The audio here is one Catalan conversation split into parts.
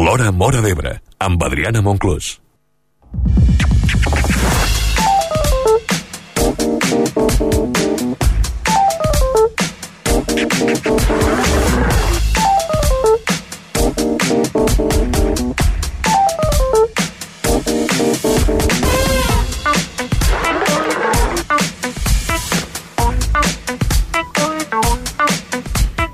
L'Hora Móra d'Ebre, amb Adriana Monclús.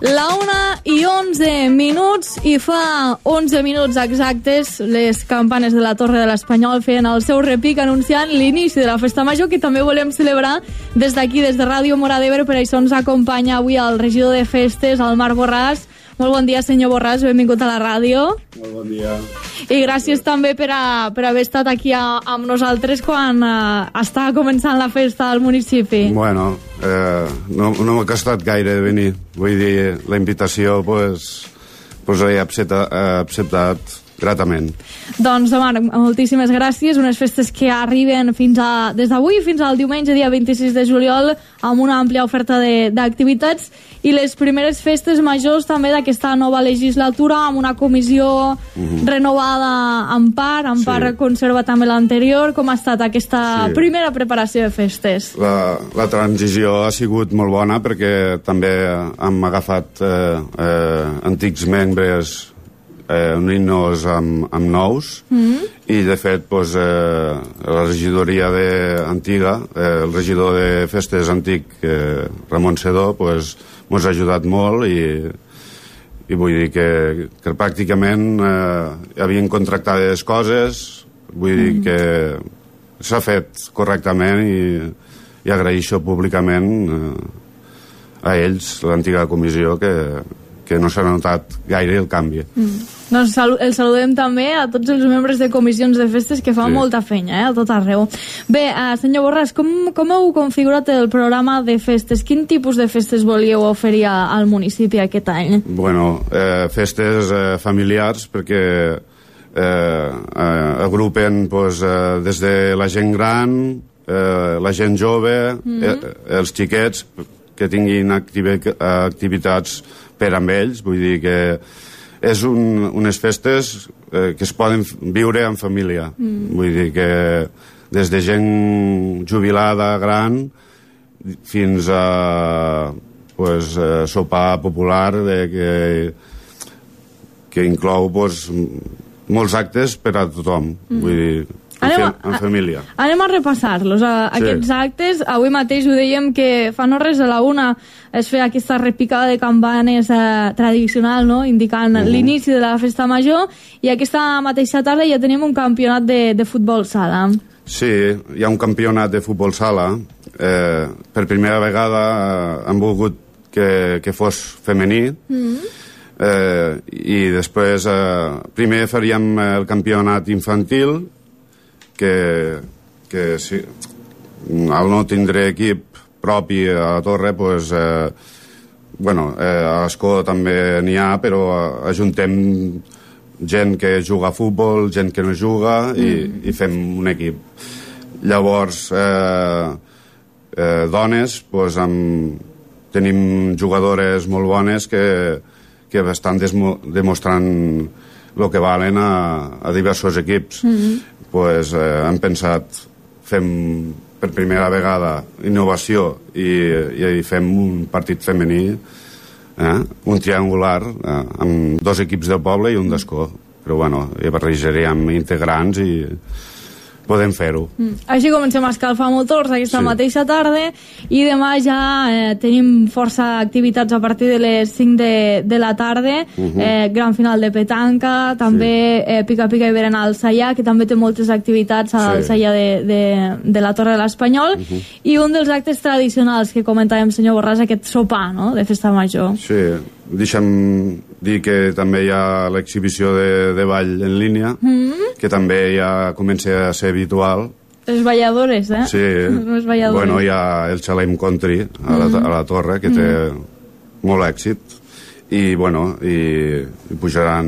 La 1:11 i fa 11 minuts exactes les campanes de la Torre de l'Espanyol feien el seu repic anunciant l'inici de la Festa Major, que també volem celebrar des d'aquí, des de Ràdio Móra d'Ebre. Per això ens acompanya avui el regidor de Festes, el Marc Borràs. Molt bon dia, senyor Borràs, benvingut a la ràdio. Molt bon dia. I gràcies també per haver estat aquí amb nosaltres quan estava començant la festa al municipi. Bueno, no m'ha costat gaire de venir. Vull dir, la invitació pues l'he acceptat gratament. Doncs, Marc, moltíssimes gràcies. Unes festes que arriben des d'avui fins al diumenge, dia 26 de juliol, amb una àmplia oferta d'activitats, i les primeres festes majors també d'aquesta nova legislatura, amb una comissió renovada en part conserva també l'anterior. Com ha estat aquesta primera preparació de festes? La transició ha sigut molt bona perquè també hem agafat antics membres unint-nos amb nous, i de fet la regidoria antiga, el regidor de festes antic, Ramon Sedó, ens ha ajudat molt, i vull dir que pràcticament havien contractades coses. Vull dir que s'ha fet correctament, i agraeixo públicament a ells, l'antiga comissió, que no s'ha notat gaire el canvi. Doncs el saludem també a tots els membres de comissions de festes que fan molta feina, a tot arreu. Bé, senyor Borràs, com heu configurat el programa de festes? Quin tipus de festes volíeu oferir al municipi aquest any? Bueno, festes familiars, perquè agrupen des de la gent gran, la gent jove, els xiquets, que tinguin activitats per amb ells. Vull dir que és unes festes que es poden viure en família. Vull dir que des de gent jubilada gran fins a sopar popular que inclou molts actes per a tothom. Vull dir, en família. Anem a repassar-los, aquests actes. Avui mateix ho dèiem que fa no res, a la 1 es feia aquesta repicada de campanes tradicional, no?, indicant l'inici de la festa major, i aquesta mateixa tarda ja tenim un campionat de futbol sala. Sí, hi ha un campionat de futbol sala. Per primera vegada han volgut que fos femení, i després primer faríem el campionat infantil, que sí, al no tindre equip propi a la Torre, a l'Escó també n'hi ha, però ajuntem gent que juga a futbol, gent que no juga, i fem un equip. Llavors, dones, tenim jugadores molt bones que estan demostrant el que valen a diversos equips. Hem pensat, fem per primera vegada innovació, i fem un partit femení, un triangular, amb 2 equips del poble i un d'Escó. Però hi barrejaríem integrants i podem fer-ho. Així comencem a escalfar motors aquesta mateixa tarda, i demà ja tenim força activitats a partir de les 5 de la tarda. Gran final de petanca, també pica-pica i berenar al Sallà, que també té moltes activitats al Sallà de la Torre de l'Espanyol, i un dels actes tradicionals que comentàvem, senyor Borràs, aquest sopar, no?, de festa major. Sí, deixa'm dir que també hi ha l'exhibició de ball en línia, que també ja comença a ser habitual. Les balladores, Sí. Les balladores. Hi ha el Xalem Country a la Torre, que té molt èxit, i pujaran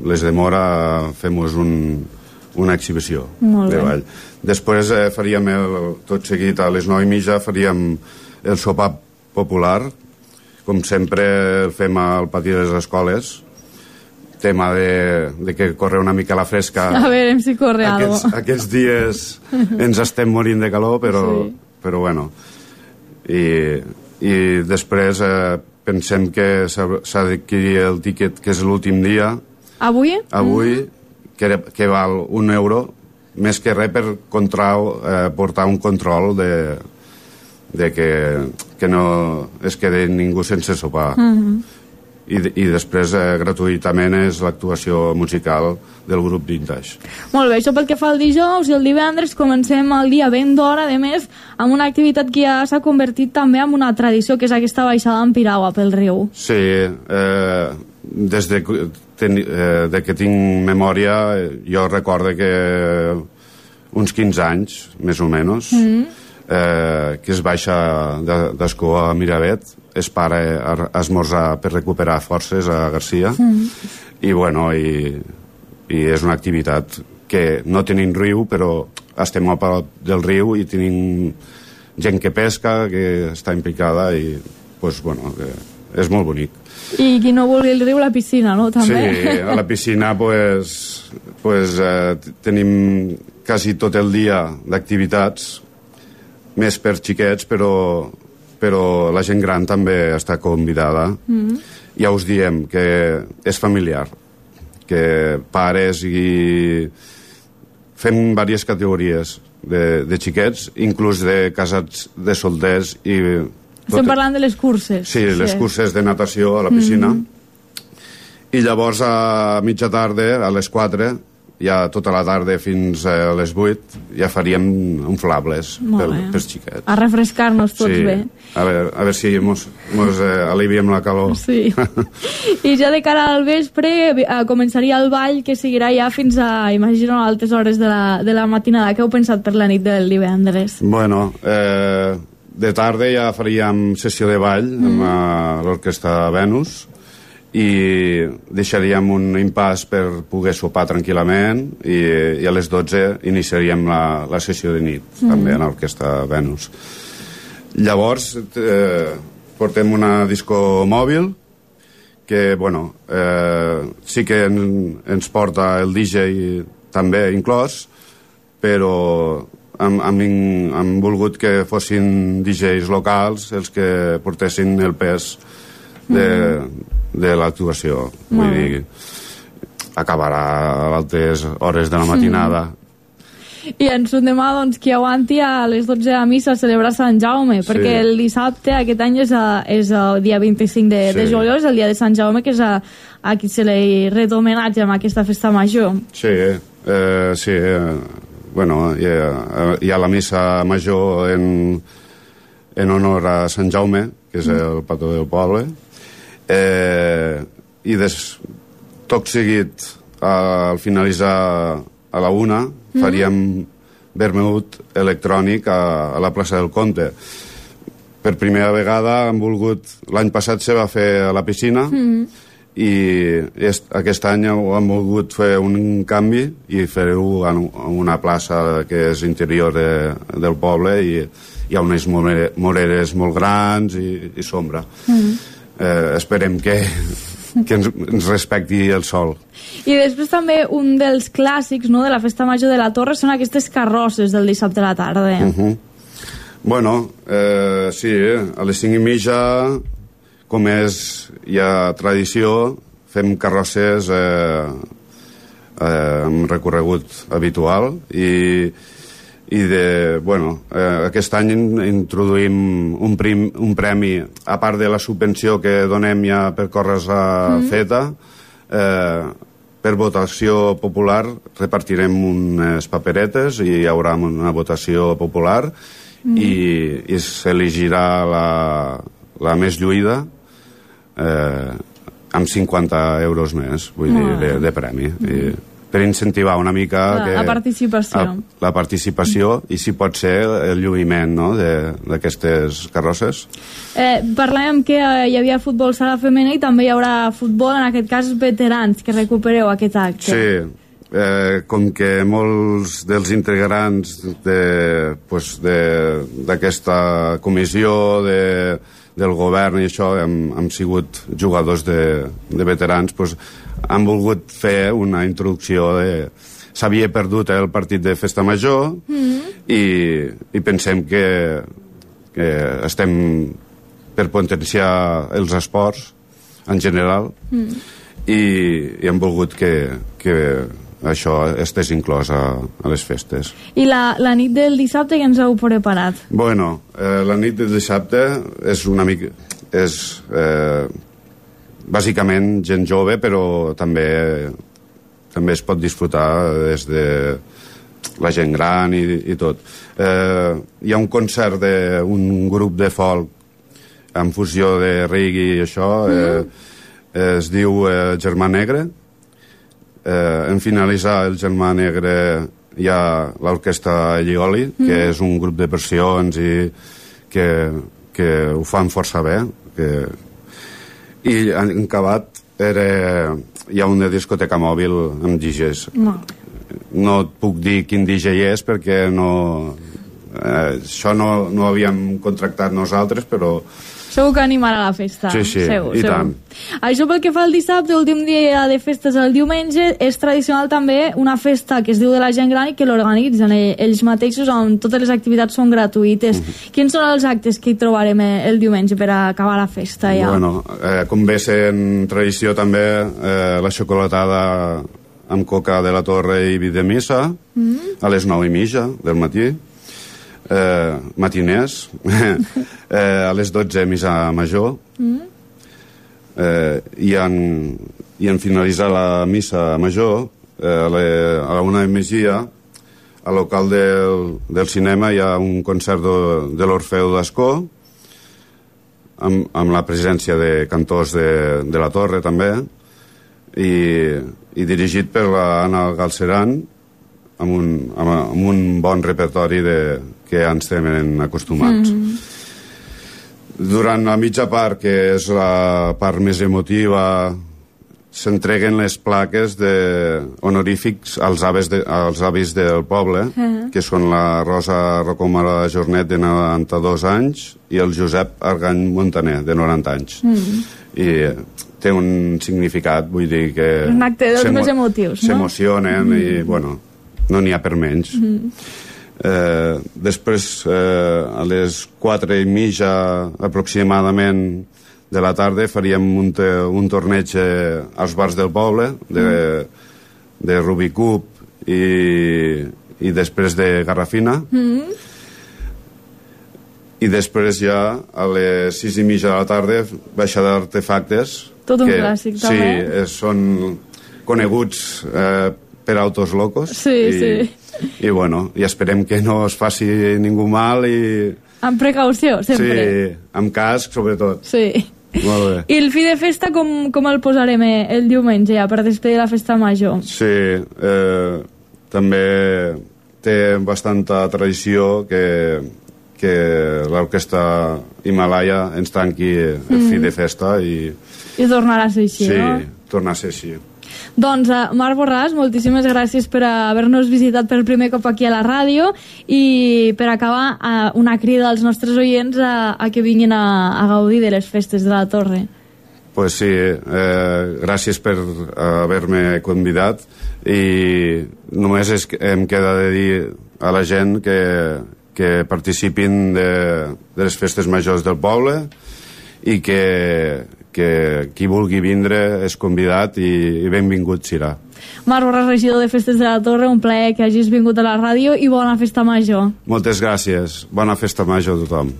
les de Mora, fem-nos una exhibició de ball. Després faríem tot seguit a les 9:30 faríem el sopar popular, com sempre el fem al pati de les escoles. tema de que corre una mica la fresca. A veure si corre algo. Aquests dies ens estem morint de calor, però bueno. I després pensem que s'ha d'adquirir el tíquet, que és l'últim dia. Avui? Avui, que val €1, més que res per portar un control de que no es quedi ningú sense sopar. I després gratuïtament és l'actuació musical del grup Vintage. Molt bé, això pel que fa al dijous, i el divendres comencem el dia ben d'hora, a més, amb una activitat que ja s'ha convertit també en una tradició, que és aquesta baixada en piragua pel riu. Sí, des de que tinc memòria, jo recordo que uns 15 anys, més o menys, que es baixa d'Escó a Miravet, es para a esmorzar per recuperar forces a Garcia, i bueno, i és una activitat que no tenim riu, però estem a prop del riu i tenim gent que pesca, que està implicada, i pues, bueno, és molt bonic. I qui no vulgui el riu, la piscina, no? També. Sí, a la piscina tenim quasi tot el dia d'activitats, més per xiquets, però la gent gran també està convidada. Ja us diem que és familiar, que pares i fem diverses categories de xiquets, inclús de casats, de solders i... Estem parlant de les curses. Sí, les curses de natació a la piscina. I llavors a mitja tarda, a les 4, ja tota la tarda fins a les 8, ja faríem inflables pels xiquets. A refrescar-nos tots bé. A veure si mos aliviem la calor. Sí. I ja de cara al vespre començaria el ball, que seguirà ja fins a, imagino, a altes hores de la matinada. Què heu pensat per la nit del divendres? Bueno, de tarda ja faríem sessió de ball amb l'orquestra Venus, i deixaríem un impàs per poder sopar tranquil·lament, i a les 12 iniciaríem la sessió de nit, també en l'orquestra Venus. Llavors portem una disco mòbil que, bueno, sí que ens porta el DJ també inclòs, però hem volgut que fossin DJs locals els que portessin el pes de l'actuació. Vull dir, acabarà a altes hores de la matinada. I ens demà, doncs, qui aguanti a les 12 a missa a celebrar Sant Jaume, perquè el dissabte, aquest any, és el dia 25 de juliol, és el dia de Sant Jaume, que és a qui se li ret homenatge amb aquesta festa major. Sí, bueno, hi ha la missa major en honor a Sant Jaume, que és el patró del poble, i tot seguit, al finalitzar a la 1, faríem vermut electrònic a la plaça del Comte. Per primera vegada hem volgut... L'any passat se va fer a la piscina, i aquest any hem volgut fer un canvi i fer-ho en una plaça que és interior del poble, i hi ha unes moreres molt grans i sombra. Esperem que ens respecti el sol. I després també un dels clàssics, no, de la festa major de la Torre són aquestes carrosses del dissabte a la tarda. Bueno, sí, a les 5:30, com és ja tradició, fem carrosses amb recorregut habitual, i aquest any introduïm un premi, a part de la subvenció que donem ja per córrer feta, per votació popular repartirem unes paperetes i hi haurà una votació popular, i s'elegirà la més lluïda amb 50 euros més, vull dir, de premi, per incentivar una mica la participació i, si pot ser, el lluïment d'aquestes carrosses. Parlàvem que hi havia futbol sala femení, i també hi haurà futbol, en aquest cas veterans, que recupereu aquest acte. Sí, com que molts dels integrants d'aquesta comissió del govern i això hem sigut jugadors de veterans, han volgut fer una introducció de... S'havia perdut el partit de Festa Major i pensem que estem per potenciar els esports en general i hem volgut que això estigués inclòs a les festes. I la nit del dissabte que ens heu preparat? Bueno, la nit del dissabte és una mica... és bàsicament gent jove, però també es pot disfrutar des de la gent gran i tot. Hi ha un concert d'un grup de folk en fusió de reggae i això, es diu Germà Negre. En finalitzar el Germà Negre hi ha l'orquestra Llioli, que és un grup de versions i que ho fan força bé. I en acabat hi ha una discoteca mòbil amb DJs. No et puc dir quin DJ és perquè això no ho havíem contractat nosaltres, però... Segur que animarà la festa. Sí, segur. Tant. Això pel que fa al dissabte, últim dia de festes el diumenge, és tradicional també una festa que es diu de la gent gran i que l'organitzen ells mateixos, on totes les activitats són gratuïtes. Quins són els actes que hi trobarem el diumenge per acabar la festa ja? Bueno, com ve sent tradició també, la xocolatada amb coca de la Torre i vi de missa a les 9:30 del matí. Matiners a les 12 missa major i en finalitzar la missa major a la 1:30 al local del cinema hi ha un concert de l'Orfeu d'Ascó amb la presència de cantors de la Torre també i dirigit per l'Anna Galceran amb un bon repertori que ja ens tenen acostumats. Durant la mitja part, que és la part més emotiva, s'entreguen les plaques honorífics als avis del poble, que són la Rosa Rocomora Jornet, de 92 anys, i el Josep Argany Montaner, de 90 anys. I té un significat, vull dir que... Un acte dels més emotius, no? S'emocionen i, bueno, no n'hi ha per menys. Després, a les 4:30 aproximadament de la tarda, faríem un torneig als bars del poble de Rubik Cup i després de Garrafina. I després ja a les 6:30 de la tarda baixada d'artefactes. Tot un clàssic, també. Sí, són coneguts per autos locos. Sí. I bueno, i esperem que no es faci ningú mal i... Amb precaució, sempre. Sí, amb casc, sobretot. Sí. Molt bé. I el fi de festa com el posarem el diumenge, ja, per despedir la festa major? Sí, també té bastanta tradició que l'orquestra Himalaya ens tanqui el fi de festa i tornarà a ser així, no? Sí, tornar a ser així. Doncs, Marc Borràs, moltíssimes gràcies per haver-nos visitat per primer cop aquí a la ràdio i per acabar una crida als nostres oients a que vinguin a gaudir de les festes de la Torre. Pues sí, gràcies per haver-me convidat i només em queda de dir a la gent que participin de les festes majors del poble i que qui vulgui vindre és convidat i benvingut serà. Marc Borràs, regidor de Festes de la Torre, un plaer que hagis vingut a la ràdio i bona festa major. Moltes gràcies. Bona festa major a tothom.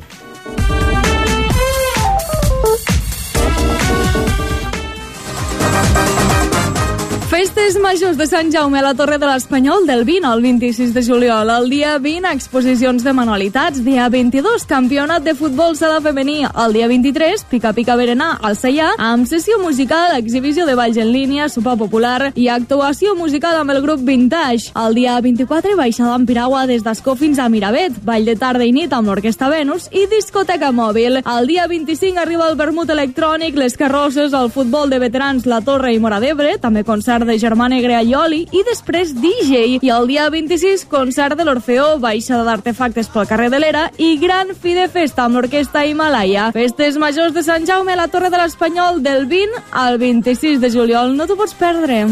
Festes majors de Sant Jaume a la Torre de l'Espanyol del 20 al 26 de juliol. El dia 20, exposicions de manualitats. Dia 22, campionat de futbol sala femení. El dia 23, pica-pica berenar al Seià, amb sessió musical, exhibició de balls en línia, sopar popular i actuació musical amb el grup Vintage. El dia 24, baixada en piragua des d'Ascó fins a Miravet, ball de tarda i nit amb l'Orquestra Venus i discoteca mòbil. El dia 25 arriba el vermut electrònic, les carrosses, el futbol de veterans La Torre i Móra d'Ebre, també concert de Germà Germà Negre Aioli i després DJ. I el dia 26, concert de l'Orfeó, baixada d'artefactes pel carrer de l'Era i gran fi de festa amb l'orquestra Himalaya. Festes majors de Sant Jaume a la Torre de l'Espanyol del 20 al 26 de juliol. No t'ho pots perdre.